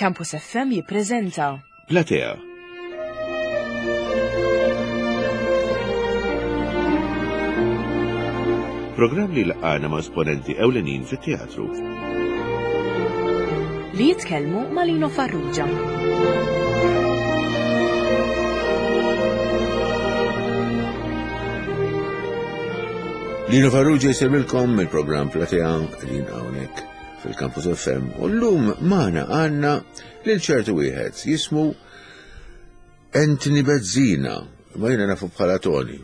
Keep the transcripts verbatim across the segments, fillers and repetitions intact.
Campus F M jippreżenta Platea. Programm li jlaqqagħna ma' esponenti ewlenin fit-teatru. Li jitkellmu ma' Lino Farrugia. Lino Farrugia jsellmilkom mill-programm Platea li hawnhekk fil-Campus F M u llum magħna għandna lil ċertu wieħed jismu Anthony Bezzina, ma jiena nafu bħala Tony.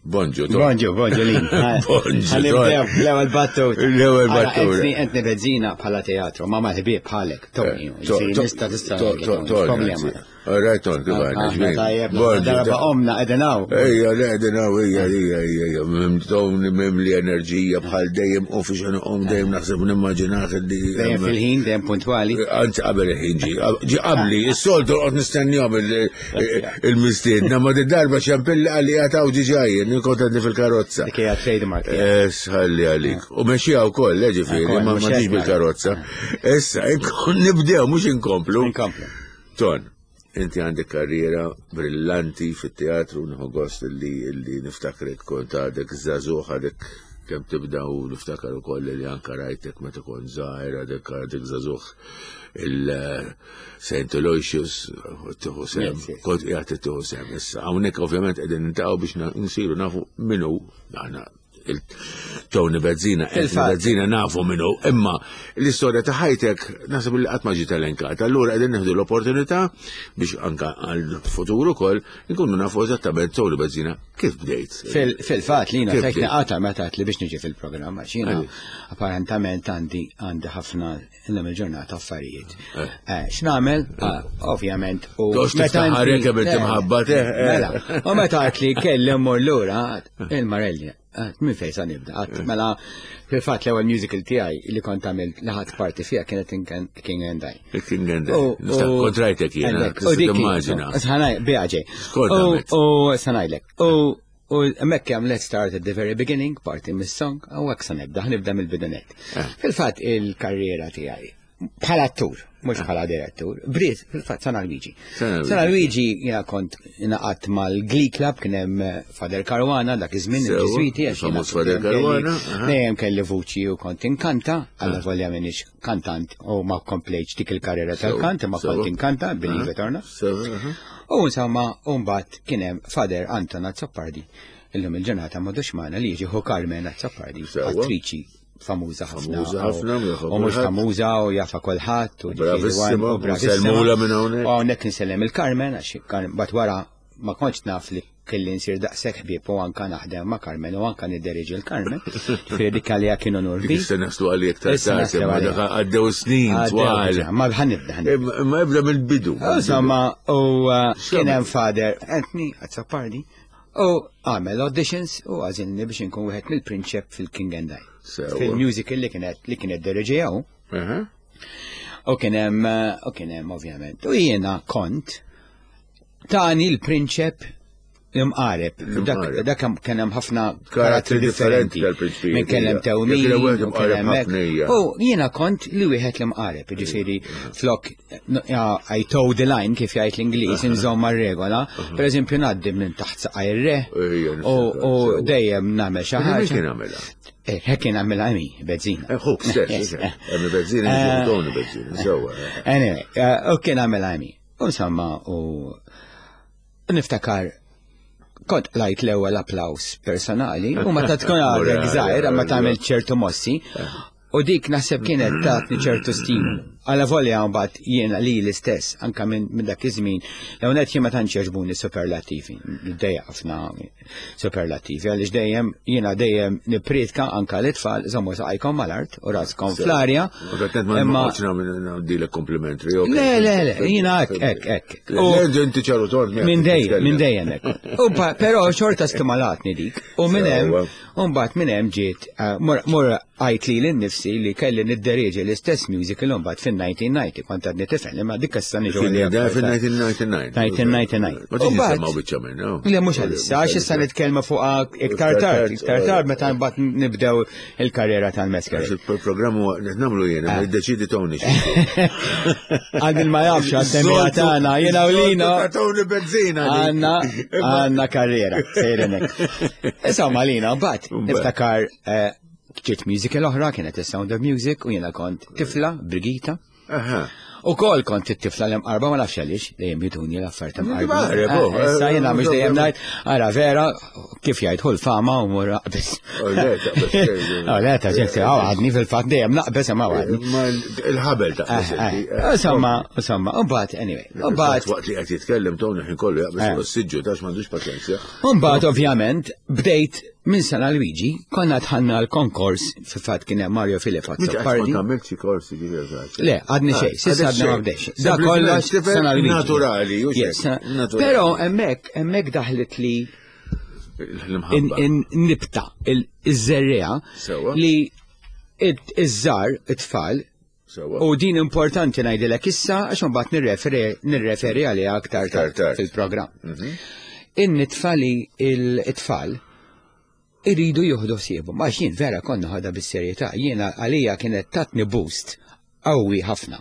Bonġu, Tony. Bonġu, bonġu Lin. Bonġu, Ħa nibdew l-ewwel battuta. L-ewwel battuta. Anthony Anthony Bezzina bħala teatru, ma mal-ħbieb bħalek, Tony. Eh, to- Ġifieri to- Nista tista' to- to- Tony, problema. anzi. All right, Tony, kif għandna, Aħna ġbin? tajjeb, Bonġu, darba ta- omna qegħdin hawn. Ejja, le, qegħdin hawn, ejja, ejja, ejja, ejja, mim Tony mimli enerġija bħal dejjem u fiex u dejjem naħseb nimmaġinaħ li. Dejjem fil-ħin, dejjem puntwali. Anzi, qabel il-ħin ġi, ġi qabli, is-soltu qed nistennihom il-mistiedna, ma di darba ċempilli għalli għataw ġi ġajjen, kontent fil-karozza. Dik hija trademark tiegħek. Sħalli għalik. U mexija u koll, ġifieri, Ukoll, ma mhux ma ġiġ hekk, bil-karozza. Issa, inkun nibdew, mhux inkomplu. Inkomplu. Ton, inti għandek karriera brillanti fit-teatru, nieħu gost li, li niftakrek kont għadek żagħżugħ, għadek kemm tibda u niftakar ukoll li anka rajtek meta kont żgħir, għadek għadek żagħżugħ il-Saint Aloysius, tieħu sehem, Yes, yes. kont qiegħed tieħu sehem. Issa hawnhekk ovvjament qegħdin niltaqgħu biex na- nsiru nafu min hu aħna il-Tony Bezzina, Anthony Fil-fatt. Bezzina nafu min hu, imma l-istorja ta' ħajtek naħseb li qatt ma ġiet elenkata. Allura qegħdin nieħdu l-opportunità biex anka għal-futur ukoll nkunu nafu eżattament Tony Bezzina kif bdejt. Fil- Fil-fatt li Kif fejk bdejt? naqata meta li biex niġi fil-programm, għax jiena Għaliex? apparentament għandi għandi ħafna illum il-ġurnata affarijiet. Eh. Eh, X'nagħmel? Ah, Ovvjament. U Tox meta tiftaħar inti- kemm inti Le, mħabbat, eh, eh. Mela, u meta għat li kelli mmur lura, il-Marelli, għat, minn fejn sa nibda? Għat, mela, fil-fatt l-ewwel musical tiegħi li kont għamilt li ħadt parti fiha kienet in King and I. Il-King and I. U- Nista' u- kont rajtek jiena, Għandek, u tista' dik- timmaġina. Sanaj, biħaġej. Skont U għamilt. u sanajlek. U u hemmhekk hemm "Let's start at the very beginning", parti mis-song, u hekk sa nibda, nibda mill-bidunet. Eh. Fil-fatt il-karriera tiegħi bħala attur, mhux bħala direttur, bdiet fil-fatt San Luigi. San Luigi. San Luigi jiena kont ingħaqadt mal-Glee Club, kien hemm eh, Father Caruana dak iż-żmien Sewa, il-Ġiżwiti għax jiena famuż Father dejjem kelli- Caruana, aha. Dejjem kelli vuċi u kont inkanta, għalla volja minix kantant u ma komplejtx dik il-karriera Sewa, tal-kant, ma sewa. kont inkanta, believe it or not. Sewa, aha. U insomma, mbagħad kien hemm Father Anton Azzopardi, illum il-ġurnata m'għadux magħna, li jiġi ħu Carmen Azzopardi, Sewa. attriċi famuża ħafna. Famuża u- ħafna, jafa U mhux kulħadd. famuża u jafa kulħadd. U Bravissima, u bravissima. nsellmula minn hawnhekk. U hawnhekk insellem il-Carmen, għax Carmen- bat wara ma kontx naf li kelli nsir daqshekk ħbieb u anka naħdem ma' Carmen u anka nidderieġi l-Carmen. Ġifieri dik għalija kien unur Dik kbir. issa naslu għalih iktar Issa tard, naslu imma għalih. dak għaddew snin Għaddew twal. diġà, ma ħa nibda ħa nibda. Imma imma ibda mill-bidu. Insomma, u uh, kien hemm X'għamel? Father Anthony Azzopardi u għamel auditions u għażilni biex inkun wieħed mill-prinċep fil-King and I. Sewa. Fil-musical li kienet li kienet diriġijaw. Aha. U kien hemm uh, u kien hemm ovvjament. U jiena kont tani l-prinċep l-imqareb. Dak L-imqareb. dak kien hemm ħafna Karattri differenti tal-prinċpijiet, Min kien hemm hija. tewmin, Jekk kien hemm u kien hemm imqareb hekk. ħafna hija. U jiena kont li wieħed l-imqareb, ġifieri flok no, ja, I toe the line kif jgħid l-Ingliż, inżomm mar-regola. Per eżempju ngħaddi minn taħt saqaj ir-re Ejja, u niftakar, u sewa. dejjem nagħmel xi Min ħaġa. kien għamilha? Eh, hekk kien għamilha Emi Bezzina. Eh, Ħuk stess, Emi Bezzina, Eh, Tony Bezzina, sewa. Anyway, eh, u kien għamilha Emi. U insomma, u niftakar kont lajt l-ewwel applaus personali u meta tkun għadek żgħir ma tagħmel ċertu mossi u dik naħseb kienet tatni ċertu stimolu. Għala volja mbagħad jiena li l-istess anka minn min dak iż-żmien l net jien ma tantx jogħġbuni superlativi, dejja ħafna superlativi għaliex dejjem jiena dejjem nippriedka anka l-itfal żommu saqajkom mal-art u raskom fl-arja. U għatnet ma Imma- noqgħodx nagħmel komplimentri. ok. Le, le, le, jiena hekk, hekk, hekk. Le, U- le, inti ċaru tort. Minn dejjem, minn dejjem hekk. U pa- Però xorta stimolatni dik. U minn hemm, Sewa. u mbagħad minn hemm ġiet eh, mur mur għajt li l-nifsi li kelli nidderieġi l-istess musical mbagħad fin-elf disa' mija u disgħin, kont għadni tifel, imma dik issa niġu Kien għalija da aktar tard. fil-elf disa' mija u disgħin. elf disa' mija u disgħin. Ma tiġi U mbagħad- semmaw biċċa minna. Le, mhux għalissa, għax issa issa nitkellmu fuq iktar tard, iktar tard meta mbagħad nibdew il-karriera tal-Masquerade. Il-programm huwa qed nagħmlu jiena, ma jiddeċidi Tony. Għal min ma jafx għat-temija tagħna, jiena u Lino. Tony Bezzina. Għanna, għanna karriera, sejrinek. Insomma, Lino, but niftakar eh, ġiet musical oħra, kienet The Sound of Music, u jiena kont tifla, Brigita. Aha. U kol kont it-tifla l-imqarba, ma nafx għaliex, dejjem jituni l-affarijiet imqarba. Imqareb, oh, Eh, Issa jiena mhux dejjem eh, ngħid, ara vera, kif jgħid hu l-fama u mur aqbes. Oh, le, taqbes xejn. Oh, le, ta' ġekti, għadni fil-fatt dejjem naqbes imma għadni. Ma il-ħabel ta' Eh, eh, Insomma, insomma, u mbagħad, anyway, u mbagħad Waqt li qed jitkellem Tony ħin kollu jaqbes Eh. fuq is-siġġu tax m'għandux paċenzja. Mbagħad ovvjament bdejt minn San Luigi, konna dħalna l-konkors, fil-fatt kien hemm Mario Filip Mhux qatt Azzopardi. kont għamilt xi korsi ġifieri. Le, għadni xejn, s'issa għadni ma bdejx. Da kollox San Luigi. Naturali, u Yes, xejn, naturali. Però hemmhekk hemmhekk daħlet li L-imħabba. in nibta iż-żerriegħa Sewwa. li it- iż-żar, it-tfal, Sewwa. u din importanti ngħidilek issa għax imbagħad nirreferi nirreferi għaliha aktar Aktar tard tard. fil-programm. In-nitfa li il-tfal iridu jieħdu ħsiebhom. Għax jien vera konna ħadha bis-serjetà, jiena għalija kienet tatni boost qawwi ħafna.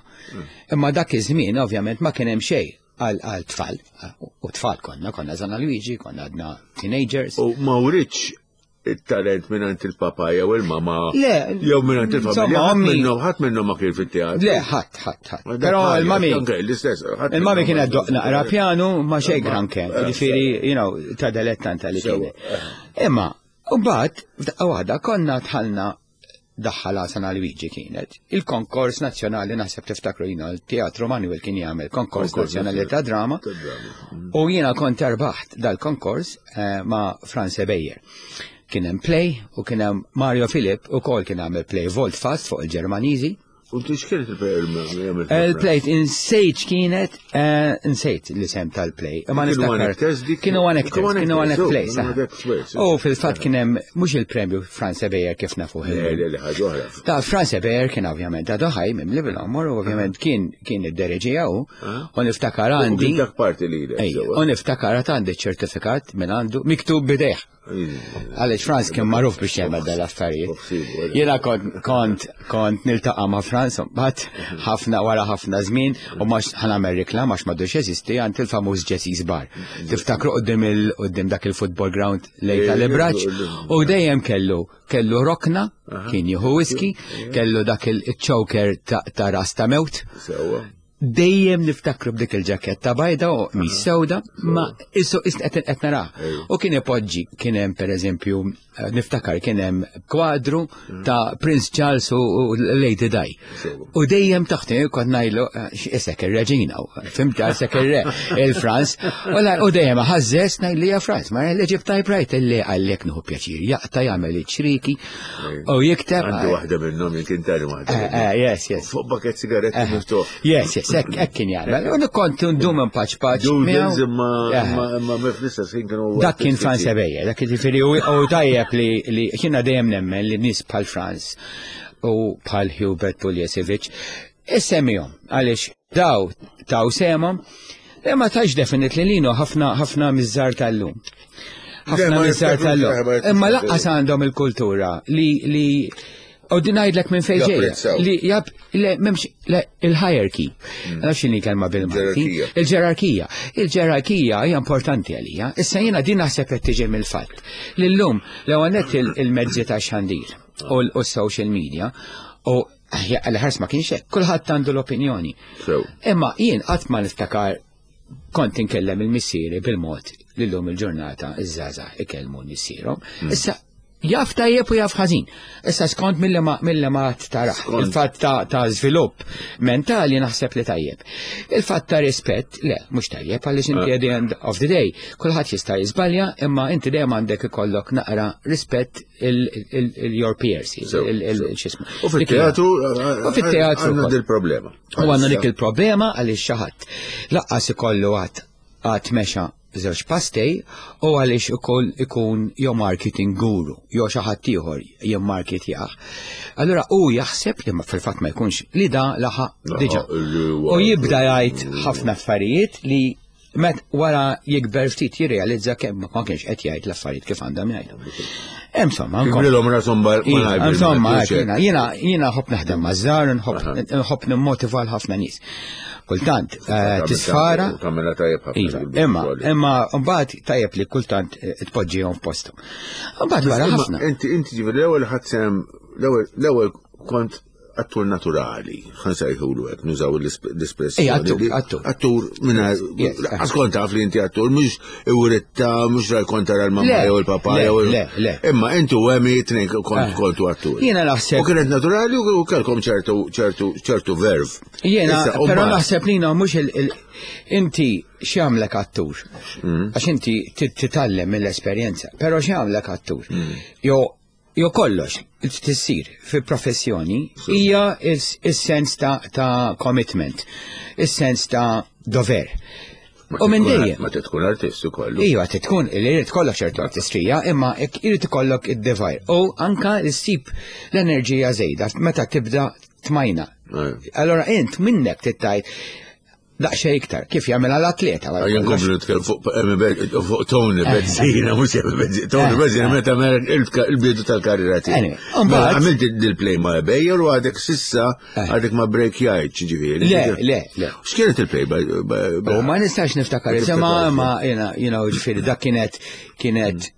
Imma dak iż-żmien ovvjament ma kien hemm xejn għal għal tfal. U tfal konna, konna San Luigi, konna għadna teenagers. U ma writx it-talent mingħand il-papa jew il-mama. Le, Jew mingħand il-familja. insomma, Ħadd ommi- minnhom ħadd minnhom ma kien fit-teatru. Le, ħadd, ħadd, ħadd. Però il-mami, Anke l-istess. ħadd il-mami minnhom kienet ma- ddoqq naqra pjanu ma xejn granché, Eh, ġifieri, you know, ta' dilettanta li Sewwa, kienet. Imma, u mbagħad f'daqqa waħda konna dħalna daħħala San Luigi kienet. Il-konkors nazzjonali naħseb tiftakru jina il-Teatru Manuel kien jagħmel konkors Konkors nazzjonali ta' drama. Ta' drama. U jiena kont erbaħt dal-konkors eh, ma' Franz Beyer. Kien hemm play u kien hemm Mario Philip ukoll kien għamel play Volt Fast fuq il-Ġermaniżi. U inti x'kienet il-play? Il-play insejt kienet, eh, insejt l-isem tal-play. Ma Kienu niftakar. one actors dik? Kienu one actors, Kienu one kienu one actors, play. oh, saħ. kienu one actors, U fil-fatt kien hemm mhux il-premju Franz Beyer kif nafu. Le, le, le, ħaġa oħra. Ta' Franz Beyer kien ovvjament għadu ħaj mimli bil-għomor u ovvjament kien kien id-dereġija u u niftakar U għandi. kien dak parti li Ej, u niftakar għad għandi ċertifikat minn għandu miktub b'idejh. Għaliex Franz kien magħruf biex jagħmel dal-affarijiet. Jiena kont kont kont niltaqa' ma' Franz mbagħad ħafna wara ħafna żmien u mhux ħa nagħmel reklam għax m'għadux jeżisti għand il-famuż Jesse's Bar. Tiftakru quddiem il quddiem dak il-football ground lejn tal-Ibraġ u dejjem kellu kellu rokna, kien jieħu whisky, kellu dak il-choker ta' ta' ras ta' mewt. Sewwa. Dejjem niftakru b'dik il-ġaketta bajda u mis sewda, ma issu qed qed nara. U kien ipoġġi, kien hemm pereżempju, eh, niftakar kien hemm kwadru ta' Prince Charles u u Lady Di. Sewwa. U dejjem taħt kont ngħidlu eh, isek ir-reġina, fhimt isek ir-re, il-Franz. U la- U dejjem ħażżeż ngħidli ja Franz, ma li ġib typewriter li għallek nieħu pjaċir, jaqta' jagħmel iċ-ċriki u jikteb. Għandi waħda minnhom jien kien tani waħda. Eh, minnhom. eh, Yes, yes. Fuq paket sigaretti miftuħ. Yes, yes, hekk hekk kien jagħmel. U kont ndum paċ paċ. Doodles miegħu. imma Eh. imma imma fl-istess ħin kienu. Dak kien Franz Beyer, dak jiġifieri u u tajjeb li li kienna dejjem nemmen li nies bħal Franz u bħal Hubert Puljesevic issemmihom għaliex daw taw sehemhom imma tax definitely lino ħafna ħafna miż-żgħar tal-lum. Ħafna ma miż-żgħar jiftakrux, tal-lum. ma jiftakrux. Imma lanqas għandhom il-kultura li li U din ngħidlek minn fejn ġejja. Japprezzaw. Li jab, le, m'hemmx, le, il-hierarchy. Nafx x'inhi kelma bil-Malti. Ġerarkija. Il-ġerarkija. Il-ġerarkija hija importanti għalija. Issa jiena din naħseb qed tiġi mill-fatt. Li llum l-ewwel nett il- il-mezzi ta' xandir u l- u s-social media u l-ħars ma kienx hekk, kulħadd għandu l-opinjoni. Sew. Imma jien qatt ma niftakar kont inkellem il-missieri bil-mod li llum il-ġurnata iż-żgħażagħ ikellmu missierhom. Issa jaf tajjeb u jaf ħażin. Issa skont mill ma mill ma taraħ. Skont. Il-fatt ta' ta' żvilupp mentali naħseb li tajjeb. Il-fatt ta' rispett, le, mhux tajjeb għaliex inti at the end of the day kulħadd jista' jiżbalja, imma inti dejjem għandek ikollok naqra rispett il-your peers, Sew, il- il- sew. x'ismu. U fit-teatru U fit-teatru għandna ukoll. dil-problema. U għandna dik il-problema għaliex xi ħadd. Lanqas ikollu għad għad mexa żewġ pastej u għaliex ukoll ikun jew marketing guru, jew xi ħadd ieħor jimmarketjah. Allura hu jaħseb li ma fil-fatt ma jkunx li da laħaq Laħaq diġà. li U jibda jgħid ħafna affarijiet li Met wara jikber ftit jirrealizza kemm ma kienx qed jgħid l-affarijiet kif għandhom jgħidu. Insomma, Jibrilhom rashom bal- Iva, malajr Insomma, bil-mezz, jiena jiena jiena nħobb naħdem maż-żgħar, nħobb nħobb nimmotiva l-ħafna nies. Kultant, eh, tisfara, Kamera tajjeb ħafna. Iva, imma, imma mbagħad tajjeb li kultant eh, tpoġġihom f'posthom. Mbagħad wara Imma ħafna. Inti inti ġifieri l-ewwel ħadd sem l-ewwel l-ewwel kont attur naturali, ħa nsejħulu hekk, nużaw l-espressjoni. Ej, attur, li- attur. Attur minna, Yes, għax kont taf li inti attur, mhux iwritta, mhux raj kont tara l-mamma Le, jew il-papa le, jew il- le, le. Imma inti u Emi tnejn kont Eh. kontu attur. Jiena naħseb- U kienet naturali u kellkom ċertu ċertu ċertu verve. Jiena, Issa, u però mbagħad- naħseb li mhux il- il- inti x'jagħmlek attur. Mm. Għax inti tit- titgħallem mill-esperjenza, però x'jagħmlek attur. Mm. Jo jo kollox li tissir fi professjoni hija is- is-sens ta' ta' commitment, is-sens ta' dover. Ma U minn tkun- dejjem. Ma tkun artist ukoll. Iva, tkun li jrid kollok ċertu artistrija, imma jekk irid ikollok id-devoir. U anka ssib l-enerġija żejda meta tibda tmajna. Eh. Allora int minnek tittajt daqsxejn iktar, kif jagħmel l-atleta. wara Jien kollox. komplu nitkellem fuq Emi Be- fuq Tony Bezzina, mhux Emi Bezzina, Tony Bezzina meta mer il-bidu tal-karriera tiegħi. Anyway, u Mela, mbagħad- Għamilt il-play ma' Bejjer u għadek sissa Eh. għadek ma' break jgħid, ġifieri. Le, le, le. X'kienet il-play by- U ma nistax niftakar, Ma ma tiftakarx. ma jena, you know, ġifieri, dak kienet, kienet,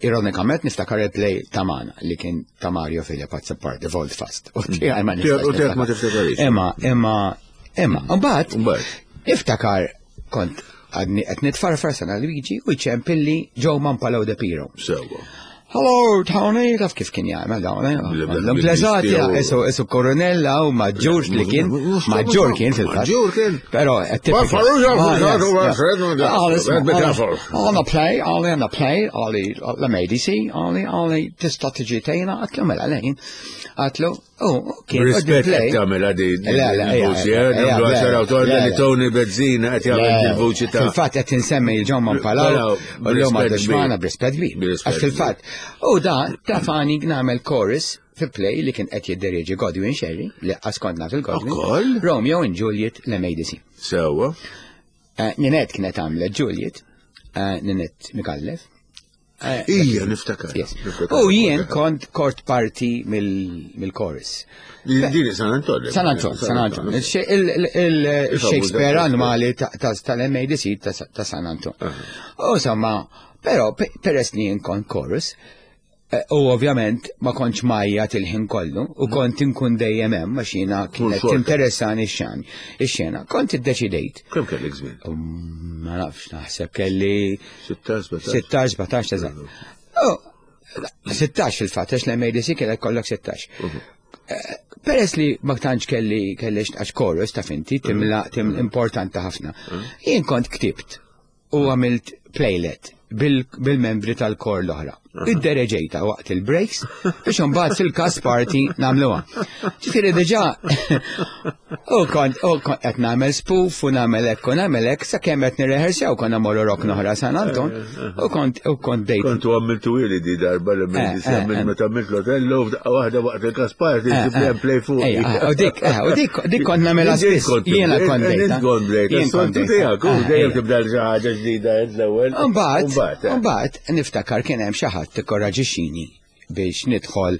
ironikament niftakar il-play ta' Mana, li kien ta' Mario Filip Azzopardi, Volt Fast. U tiegħi ma nistax. U tiegħek ma niftakar. tiftakarix. Imma, imma, imma, mbagħad Mbagħad. niftakar kont għadni qed nitfarfar San Luigi u jċempilli Joe Mampalo de Piro. Sewwa. Hello, Tony, taf kif kien jagħmel dawn. Bil- L-implezati, bil- isu isu koronella u maġġur li kien, maġġur kien fil-fatt. Maġġur kien. Però Ma Farrugia, Farrugia, be careful. On the play, għalli on the play, għalli l-M A D C, għalli għalli tista' tiġi tejna, għatlu mela lejn. Għatlu, oh, kien Rispett qed tagħmel għadi Le, le, ejja, il-vuċi, eh, ejja, nagħmlu le, għaxar awtor le, li le. Tony Bezzina qed jagħmel il-vuċi ta' Fil-fatt qed insemmi il-John Palau, Palau, u l-lum b'rispett għadu xmana kbir. b'rispett kbir. B'rispett Għax fil-fatt, u da tafani nagħmel chorus fi play li kien qed jidderieġi Godwin Sherry, li għaskontna fil-Godwin. Ukoll? Romeo and Juliet l-M A D C. Sewwa. Eh, Ninette kienet għamlet Juliet, eh, Ninette Micallef. Eh, Ija, niftakar. Yes. Niftakar. U jien kont kort parti mill- mill-chorus. Dini San Anton. San Anton, San Anton. Il-Shakespeare annwali ta- ta- tal-M A D C ta' ta' San Anton. U insomma, però pe- peress li jien kont chorus, eh, u ovvjament ma kontx majja il-ħin kollu, u kont inkun dejjem hemm għax jiena kienet xorta. interessani x-xan, ix-xena. Kont iddeċidejt. Kemm kellek żmien? Um, Ma nafx, naħseb kelli sittax, sbatax. sittax, sbatax, eżatt. Oh, sittax fil-fatt, għax l-M A D C kellek kollok sittax. Eh, Peress li ma tantx kelli kelli għax chorus ta' finti, timla tim importanti ħafna. Jien kont ktibt u għamilt playlet bil- bil-membri tal-kor l-oħra. Iddereġejta waqt il-breaks biex imbagħad fil-cast party nagħmluha. Ġifieri diġà u kont u kont qed nagħmel spoof u nagħmel hekk u nagħmel hekk sakemm qed nirrehearsjaw konna morru rok noħra San Anton u kont u kont bdejt. Kontu għamiltu ili di darba li Eh, minn eh, eh. minn meta għamilt l-Otello f'daqqa waħda waqt il-cast party Eh, ġib eh. play fuq. Ejja, eh, u dik, eh, u dik, dik kont nagħmilha spiss. Jiena kont bdejta. Jien kont bdejta. Jien kont Soltu bdejta. tiegħek, u Eh, dejjem ejja. tibda xi ħaġa ġdida l-ewwel. Mbagħad, eh. mbagħad niftakar kien hemm xi ħadd tikkoraġixxini biex nidħol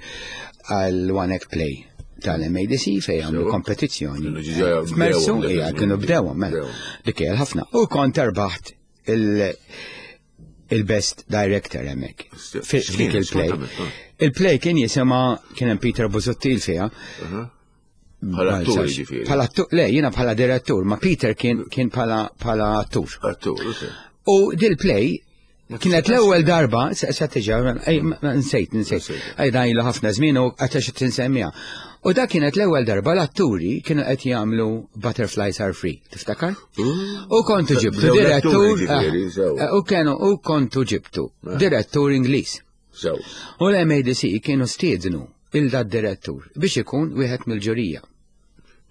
għal One Act Play tal-M A D C fejn għamlu Sewa. kompetizzjoni. Kienu ġiġa F'Mersu, bdewhom dak ija, iż-żmien. kienu bdewhom, mela. Bdewhom. Dik hija ħafna. U kont erbaħt il- il-best director hemmhekk. Fi- F'dik il-play. Il-play kien jisimha, kien hemm Peter Busuttil fiha. Bħala attur ġifieri. Bħala attur, le, jiena bħala direttur, ma Peter kien kien bħala bħala attur. Attur, ok. U dil-play kienet l-ewwel darba, se se tiġa, ej, ma- ma- nsejt, nsejt. Ej, dan ilu ħafna żmien u għatax tinsemmija. U da kienet l-ewwel darba l-atturi kienu qed jagħmlu Butterflies Are Free, tiftakar? U kontu ġibtu Bdew direttur, l-atturi ġifieri, eh, sew. eh, u kienu u kontu ġibtu direttur Ingliż. Sew. U l-M A D C kienu stiednu il da direttur biex ikun wieħed mill-ġurija.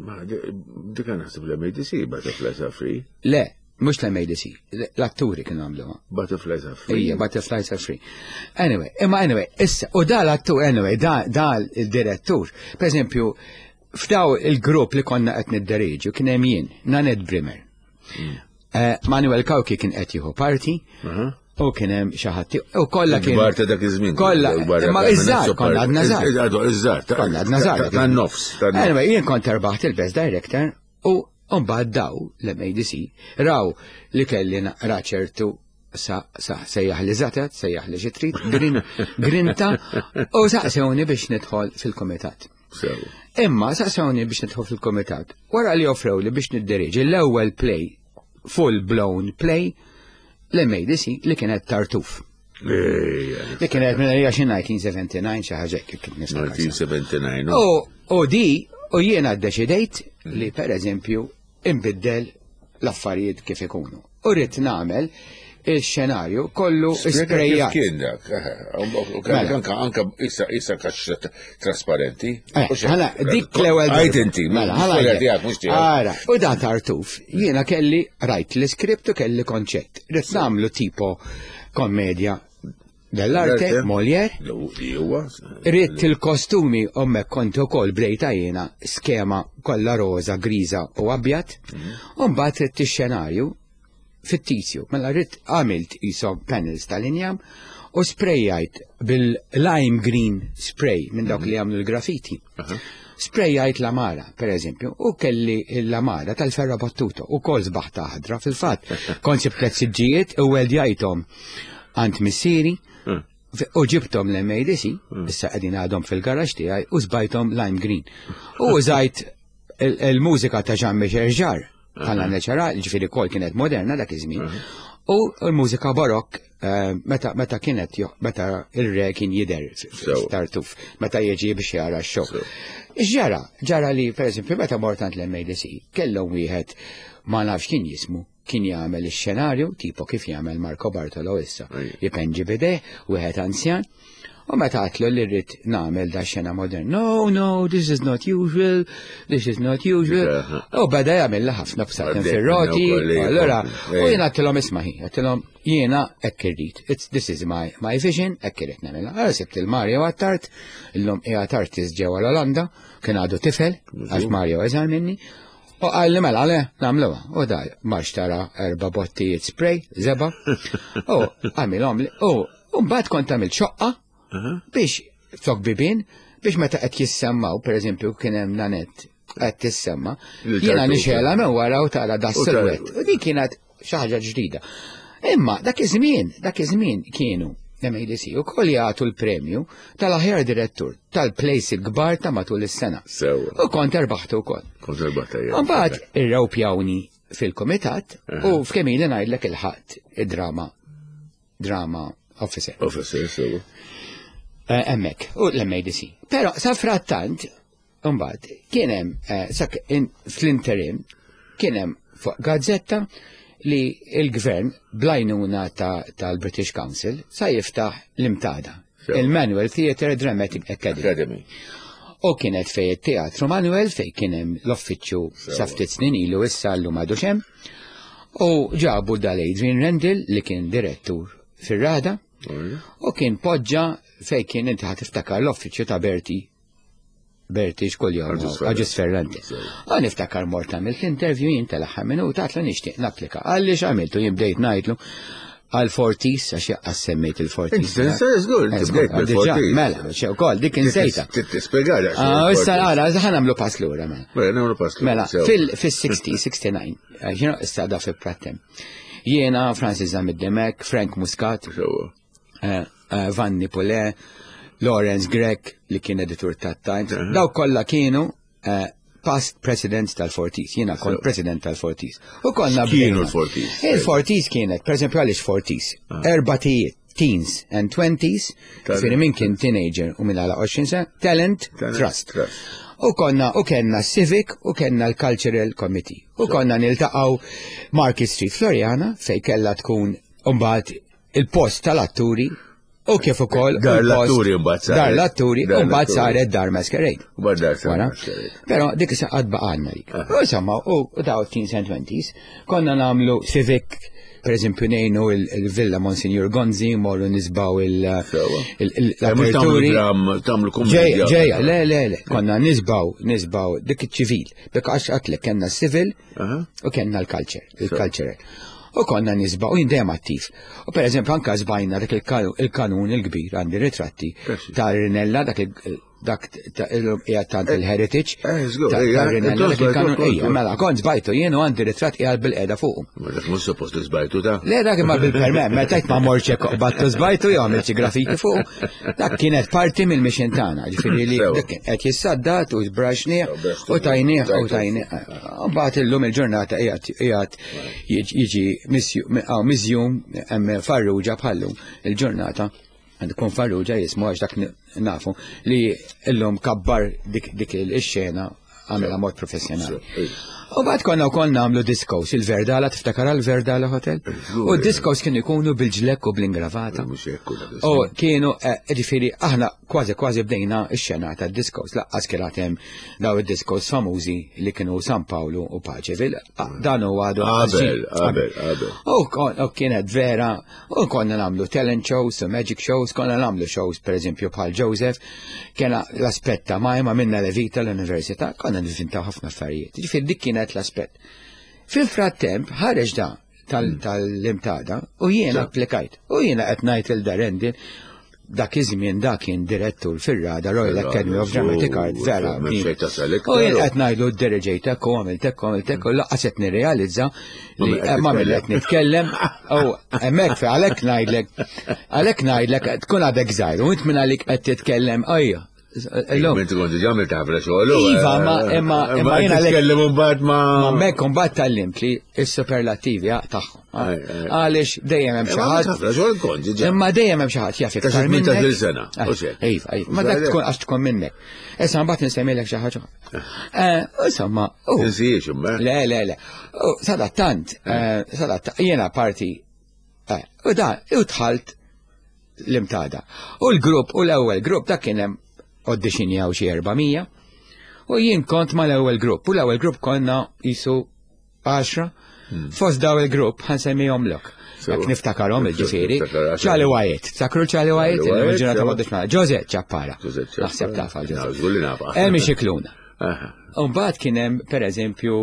Ma dik naħseb l-M A D C Butterflies Are Free. Le, mhux l-M A D C, l-atturi kienu għamluha. Butterflies Are Free. Ija, Butterflies Are Free. Anyway, imma anyway, issa, u da l-attur, anyway, da, da il-direttur, per eżempju, f'daw il-grupp li konna qed nidderieġu kien hemm jien, Nanette Brimmer, Eh, Manuel Cauchi kien qed jieħu parti u kien hemm xi ħadd u kollha kien. Kbar ta' dak iż-żmien. Kollha, imma iż-żgħar, konna għadna żgħar. Iż-żgħar. Konna għadna żgħar. Tan-nofs. Anyway, jien kont erbaħt il-Best Director u mbagħad daw l-M A D C raw li kelli naqra ċertu sa sa sejjaħ li zatet, sejjaħ li xi trid, grin, grinta u saqsewni biex nidħol fil-komitat. Imma saqsewni biex nidħol fil-komitat. Wara li offrew li biex nidderieġi l-ewwel play, full blown play, l-M A D C li kienet Tartuf. Li kienet minn għalija xi elf disa' mija u sebgħa u sebgħin, xi ħaġa hekk kif niftakar. elf disa' mija u sebgħa u sebgħin. U u di, u jiena ddeċidejt li, per eżempju, imbiddel l-affarijiet kif ikunu. U rrid nagħmel il-xenarju kollu Sprejjat. sprejjat. Kien dak? Mela. Anka anka issa issa kaxxa trasparenti. Eh, ħana, dik l-ewwel. Għajt inti, Mela, ħana. mhux tiegħek, mhux tiegħek. Ara, u da Tartuf, jiena kelli rajt l-iskript u kelli konċett. Rrid nagħmlu tipo komedja dell'arte, Dell'arte. Molière. Li huwa. Ridt il-kostumi ommek kont ukoll bdejta jiena skema kollha roża, griża u abjad. U mbagħad ridt ix-xenarju fittizju. Mela ridt għamilt jisom panels tal-injam u sprejjajt bil-lime green spray minn dawk li jagħmlu l-graffiti. Sprejjajt l-għamara, per eżempju, u kelli l-għamara tal-ferro battuto u kol sbaħta ħadra fil-fatt. Kont sibt tliet siġġijiet u weldjajthom għand missieri u ġibtom l-M A D C, issa qegħdin għadhom fil-garax tiegħi, u żbajthom lime green. U użajt il- il-mużika ta' Jean Michel Jarre, bħala neċara, ġifieri kol kienet moderna dak iż-żmien, u l-mużika barokk eh, meta meta kienet jo- meta il-re kien jidher Sewa. Tartuf, meta jiġi biex jara x-show. Ġara, ġara li, per eżempju, meta mort għand l-M A D C, kellhom wieħed, ma nafx kien jismu, kien jagħmel ix-xenarju, tipo kif jagħmel Marco Bartolo issa. Ejja. Jipenġi bideh, wieħed anzjan, u meta għatlu li rrid nagħmel da xena modern: "No, no, this is not usual, this is not usual." U beda jagħmel ħafna bsaten Għaddejt fir-roti, minnu wkoll, allora, ej. u jiena għedtilhom: "Isma' ħi," għedtilhom, "jiena hekk irrid. It's, this is my, my vision, hekk irrid nagħmilha." Allora sibt il-Mario Attard, illum qiegħed artist ġewwa l-Olanda, kien għadu tifel, għax Mario eżar minni. U għalli mela, le, nagħmluha. U da, marx tara erba bottijiet spray, żebgħa. U għamilhom li, u u mbagħad kont għamilt xoqqa biex flok bibin, biex meta qed jissemmaw, per eżempju, kien hemm Nanette qed tissemma, Il-Tartuf. jiena nixela minn wara u tara da U tara- silhouette. U din kienet xi ħaġa ġdida. Imma dak iż-żmien, dak iż-żmien kienu M A D C u koll jagħtu l-premju tal-aħjar direttur tal-plays il-kbar ta' matul is-sena. Sewa. U kont erbaħtu wkoll. Kont erbaħta jien. Mbagħad irrawpjawni fil-komitat u f'kemm ili ngħidlek il-ħadd id-drama drama officer. Officer, sewa. Eh, Hemmhekk, u l-M A D C. Però sa frattant, mbagħad kien hemm eh, sak in- fl-interim kien hemm fuq gazzetta li il-gvern bl-għajnuna ta- tal-British Council sa jiftaħ l-Imtada, Sewa. il-Manuel Theatre Dramatic Academy. Academy. U kienet fej it-teatru Manuel, fej kien hemm l-uffiċċju sa ftit snin ilu, issa llum għadu hemm. U ġabu dal-Adrian Rendell li kien direttur fir-Rada u kien poġġa fej kien, inti ħa tiftakar l-uffiċċju ta' Berti Berti xkull jom Agius Ferrante. Agius Ferrante. U niftakar mort għamilt l-interview jien tal-aħħar minuta, għatlu nixtieq napplika. Għalli x'għamiltu jien, bdejt ngħidlu għal Fortis, għax jaqqas semmejt il-Fortis. Inti tinsa, żgur, inti Eh, żgur, bdejt diġà, bil-Fortis. Mela, xe ukoll dik insejta. Tispjegali. Ah, issa ara, ħa nagħmlu pass lura mela. Mela, nagħmlu pass lura. Mela, Sewa. fil-sittin, sittin u disgħa, eh, you know, issa da fi Prattem. Jiena, Francis Zammit Demek, Frank Muscat, Sewa. eh, eh, Vanni Pule, Lawrence Grech, li kien editur ta' Times, daw kollha kienu eh, past presidents tal-Fortis. Jiena kont president tal-Fortis. U konna X'kienu bdejna. l-Fortis? Il-Fortis kienet, per eżempju, għaliex Fortis? Erba tijiet, teens and twenties, Talent. ġifieri min kien teenager u min għala għoxrin sena, talent, Talent, trust. trust. U konna, u kellna Civic u kellna l-Cultural Committee. U konna niltaqgħu Market Street Floriana, fej kella tkun mbagħad il-post tal-atturi u kif ukoll Dar il-post- l-atturi mbagħad saret. Dar l-atturi Dar u mbagħad l-atturi. saret Dar Masquerade. U mbagħad dar saret Wara. Masquerade. Però dik issa qatt baqgħalna dik. U insomma, u u daw teens and twenties konna nagħmlu civic Per eżempju ngħinu il-Villa Monsignor Gonzi, morru nisbaw l-aperturi. Tagħmlu kummedja. Ġejja, le, le, le, konna nisbaw, nisbaw dik iċ-ċivil. Bek għax għatlek kellna s-civil u kellna l-culture, il-cultural. U konna nisbaw, u jien dejjem attiv. U per eżempju anka żbajna dak il-kanun il-kbir, għandi ritratti ta' Rinella, dak dak qiegħed tant il-heritage. Ta' Rinella dak il-kanun. Ejja, mela kont żbajtu jien u għandi ritratt qiegħed bil-qiegħda fuqu. Ma dak mhux suppost li żbajtu ta'. Le dak imma bil-permess, meta ma morċ hekk battu żbajtu jew għamilt xi graffiti fuq. Dak kienet parti mill-mission tagħna, ġifieri li dak qed jissaddat u żbraxnieh u tajnieh u tajnieh. Mbagħad illum il-ġurnata qiegħed jiġi miżjum hemm Farrugia bħallum il-ġurnata. Għandu kun Farrugia jismu għax dak nafu li illum kabbar dik il-xena għamela mod professjonali. U bad konna wkoll nagħmlu discos, il-Verdala, tiftakar għal-Verdala Hotel? U discos kienu jkunu bil-ġlekk u bl-ingravata. U kienu, ġifieri, aħna kważi kważi bdejna x-xena ta' discos, laqqas kien hemm daw id-discos famużi li kienu San Paolo u Paceville. Dan u għadu. Qabel, qabel, qabel. U kienet vera, u konna nagħmlu talent shows, u magic shows, konna nagħmlu shows, per eżempju, bħal Joseph, kena l-aspett ta' majma minna Levita l-università, konna nifintaw ħafna affarijiet. Ġifieri dik kienet l-aspett. Fil-frattemp ħareġ da tal-Imtada u jiena applikajt. U jiena qed ngħid il Darendin dak iż-żmien dak kien direttur fir-Rada Royal Academy of Dramatic Art vera. U jien qed ngħidlu ddirigejtek u għamiltek u għamiltek u laqqas qed nirrealizza li ma mill qed nitkellem u hemmhekk fi għalhekk ngħidlek għalhekk ngħidlek tkun għadek żgħir u int minn għalik qed titkellem ejja. Illum. Inti kont diġà għamilt ħafna xogħol. Iva, ma imma imma jiena titkellem imbagħad ma. Ma hemmhekk imbagħad tgħallimt li s-superlativi tagħhom. Għaliex dejjem hemm xi ħadd. Ħafna xogħol kont diġà. Imma dejjem hemm xi ħadd jaf iktar minnek. Sena. Iva, iva. Ma dak tkun għax tkun minnek. Issa mbagħad nsemmilek xi ħaġa. Insomma. Tinsiex imma. Le, le, le. Sadattant, sadattant, jiena parti. U da, u dħalt l-Imtada. U l-grupp, u l-ewwel grupp dak kien hemm auditionjaw xi erba' mija u jien kont mal-ewwel grupp u l-ewwel grupp konna jisu għaxra. Fost daw il-grupp ħa nsemmihomlok. Jekk niftakarhom il-ġifieri. Charlie Wyatt, takru Charlie Wyatt, il-ġurnata m'għadux ma' Jose Ciappara. Naħseb tafa Jose. Emi Xikluna. U mbagħad kien hemm pereżempju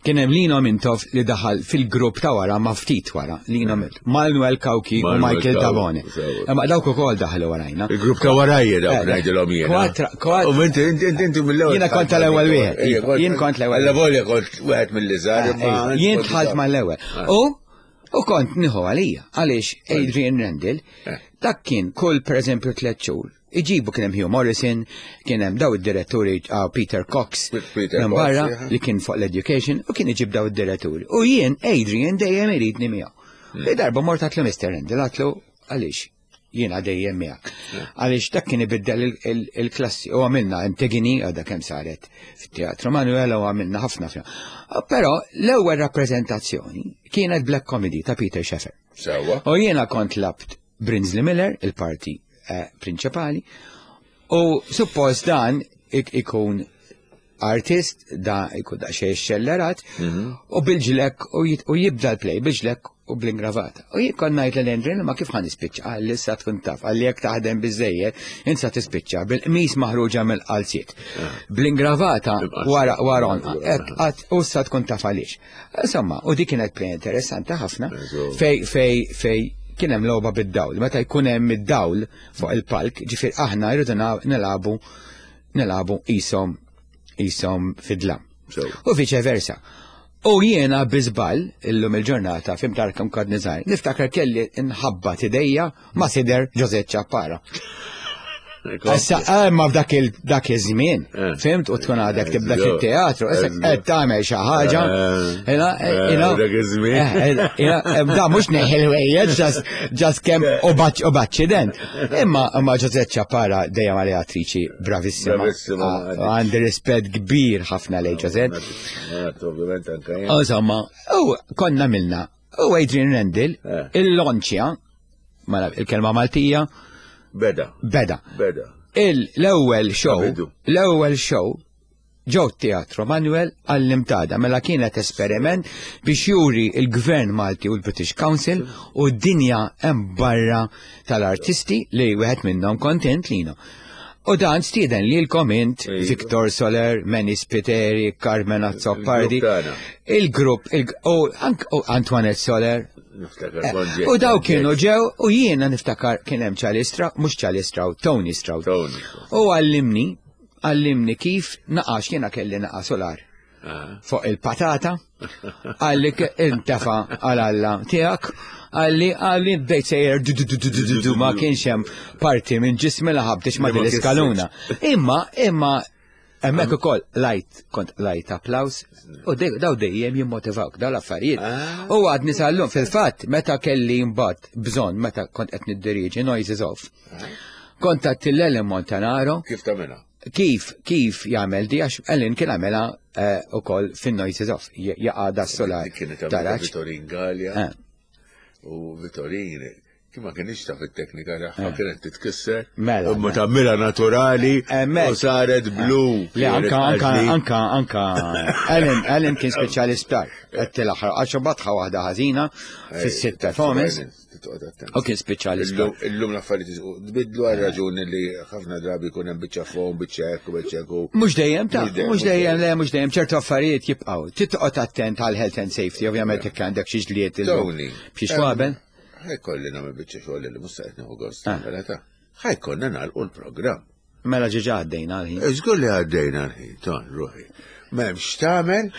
kien hemm Lino Mintoff li daħal fil-grupp ta' wara ma' ftit wara, Lino Mintoff, Manuel Cauchi u Michael Tabone. Imma dawk ukoll daħlu warajna. Il-grupp ta' warajja dawk ngħidilhom jiena. Kwatra, kwatra. U inti inti inti mill-ewwel. Jiena kont tal-ewwel wieħed. Jien kont l-ewwel. Alla volja kont wieħed mill-iżgħar imma. Jien dħalt mal-ewwel. U u kont nieħu għalija għaliex Adrian Randall dak kien kull pereżempju tliet xhur. Iġibu kien hemm Hugh Morrison, kien hemm daw id-diretturi Peter Cox minn barra li kien fuq l-education u kien iġib daw id-diretturi. U jien Adrian dejjem iridni miegħu. Li darba mort għatlu Mister Randall għatlu għaliex jiena dejjem miegħek. Għaliex dak kien ibiddel il-klassi u għamilna Antigone għadha kemm saret fit-Teatru Manuel u għamilna ħafna fija. Però l-ewwel rappreżentazzjoni kienet Black Comedy ta' Peter Shaffer. Sewwa. U jiena kont labt Brinsley Miller, il-parti prinċipali, u suppost dan ikun artist, da ikun da xej xellerat, u bil-ġlek u jibda l-play, bil-ġlek u bl-ingravata. U jien kont ngħid lil Andrew ma kif ħan nispiċċa, għal issa tkun taf, għal jekk taħdem biżejjed, insa tispiċċa bil-qmis maħruġa mill-qalziet. Bl-ingravata wara wara għat u issa tkun taf għaliex. Insomma, u dik kienet play interessanti ħafna fej fej fej kien hemm logħba bid-dawl. Meta jkun hemm id-dawl fuq il-palk, ġifier aħna jridu nilagħbu nilagħbu ishom ishom fid-dlam. U vice versa. U jiena biżball illum il-ġurnata fim tarkam kod nizar, niftakar kelli nħabba tidejja ma' sider Jose Ciappara. Issa, ma f'dak dak iż-żmien, fimt, u tkun għadek tibda fit-teatru, issa qed tagħmel xi ħaġa. Dak iż-żmien. Da mhux neħel wejjed, ġast kemm u baċċident. Imma imma Jose Ciappara dejjem għalija attriċi bravissima. Għandi rispett kbir ħafna lejn Jose. Insomma, u konna milna. U Adrian Randall, il-lonċja, il-kelma Maltija, Beda. Beda. Beda. L-ewwel show, l-ewwel show Ġew Teatru Manuel għall-imtada, mela kienet esperiment biex juri il-Gvern Malti u l-British Council u d-dinja hemm barra tal-artisti li wieħed minnhom kontent lino. U dan stieden lilkom int Iva. Victor Soler, Manny Spiteri, Carmen Azzopardi, Il-grupp tagħna. il-grupp, il- u ank- u Antoinette Soler. Niftakar Eh, kont ġejt- U daw kienu ġew u jiena niftakar kien hemm Charlie Stroud, mhux Charlie Stroud, Tony Stroud. Tony. U għallimni, għallimni kif naqax jiena kelli naqa solar Ah. fuq il-patata, għalli intafa għal Alla tiegħek, għalli għalli bdejt sejjer du du du du du du du ma kienx hemm parti minn ġismi la ħabtix ma Li ma din l-iskaluna. Imma, imma hemmhekk ukoll lajt, kont lajt applaus, u dej- daw dejjem jimmotivawk daw l-affarijiet. Ah. U għadni sal-lum fil-fatt, meta kelli mbagħad bżonn, meta kont qed niddiriġi Noises Off. Kont għadt Ellen Montanaro, Kif tagħmilha? kif kif jagħmel di għax Ellen kien għamela eh, ukoll fin-Noises Off, j- jaqa' da solar Dik Kienet għamilha taraġ. Vittorin Gallia Eh. u Vittorin kien ma kienx taf it-teknika tagħha kienet titkisser. Mela, Imma mela. tagħmilha naturali Hemmhekk. u saret blu. Le, anka, Kienet anka, għażli. anka, anka, Ellen, Ellen kien speċjali sptar, qed l-aħħar, għax batħa waħda ħażina fis-sitt performance, Titqgħod attent. u kien speċjali sptar. Illum illum l-affarijiet tbidlu għal raġuni li ħafna drabi jkun hemm biċċa fon, biċċa hekk u biċċa hekk u- Mux dejjem ta' Mhux dejjem, mux mhux dejjem, dejjem. le, mux dejjem, ċertu affarijiet jibqaw. Titqgħod attent għal health and safety, ovvjament jekk għandek xi ġlied illum. Tony. B'xi xwabel. Ħajkolli nagħmel biċċa xogħol li mhux se qed nieħu gost Ah. nagħmilha ta'. Ħajkonna nagħlqu l-programm. Mela ġiġa għaddejna għal-ħin. Żgur li għaddejna l-ħin, ton, ruħi. M'hemmx tagħmel,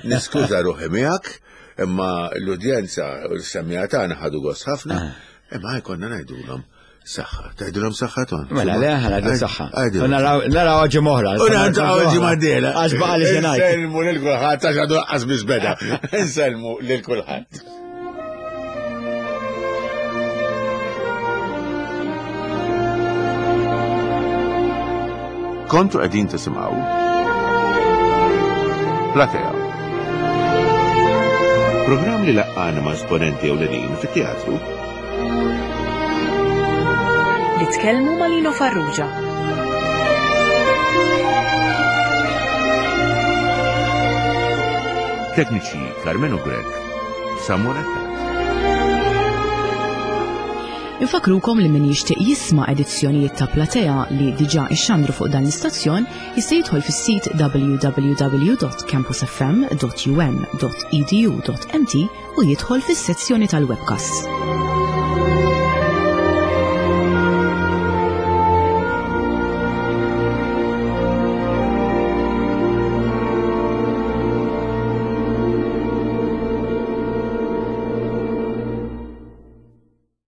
niskuża ruħi miegħek, imma l-udjenza u l-semmija tagħna ħadu gost ħafna, imma ħajkonna ngħidulhom saħħa. Tgħidulhom saħħa ton. Mela, le, ħana għadu saħħa. Għajdilhom U naraw naraw ġimgħa oħra. U naraw ġimgħa d-dieħla. Għax baqa li xenajt. Insellmu lil kulħadd għax għadu laqqas biss beda. Insellmu lil kulħadd. Kontu qegħdin tisimgħu Platea. Programm li laqqana ma' esponenti ewlenin fit-teatru Li tkellmu ma' Lino Farrugia. Tekniċi Carmenu Grek, Samuel Attard. Infakrukom li min jixtieq jisma' edizzjonijiet ta' Platea li diġà ixxandru fuq dan l-istazzjon jista' jidħol fis-sit w w w dot campusfm dot u m dot e d u dot m t u jidħol fis-sezzjoni tal-webcast.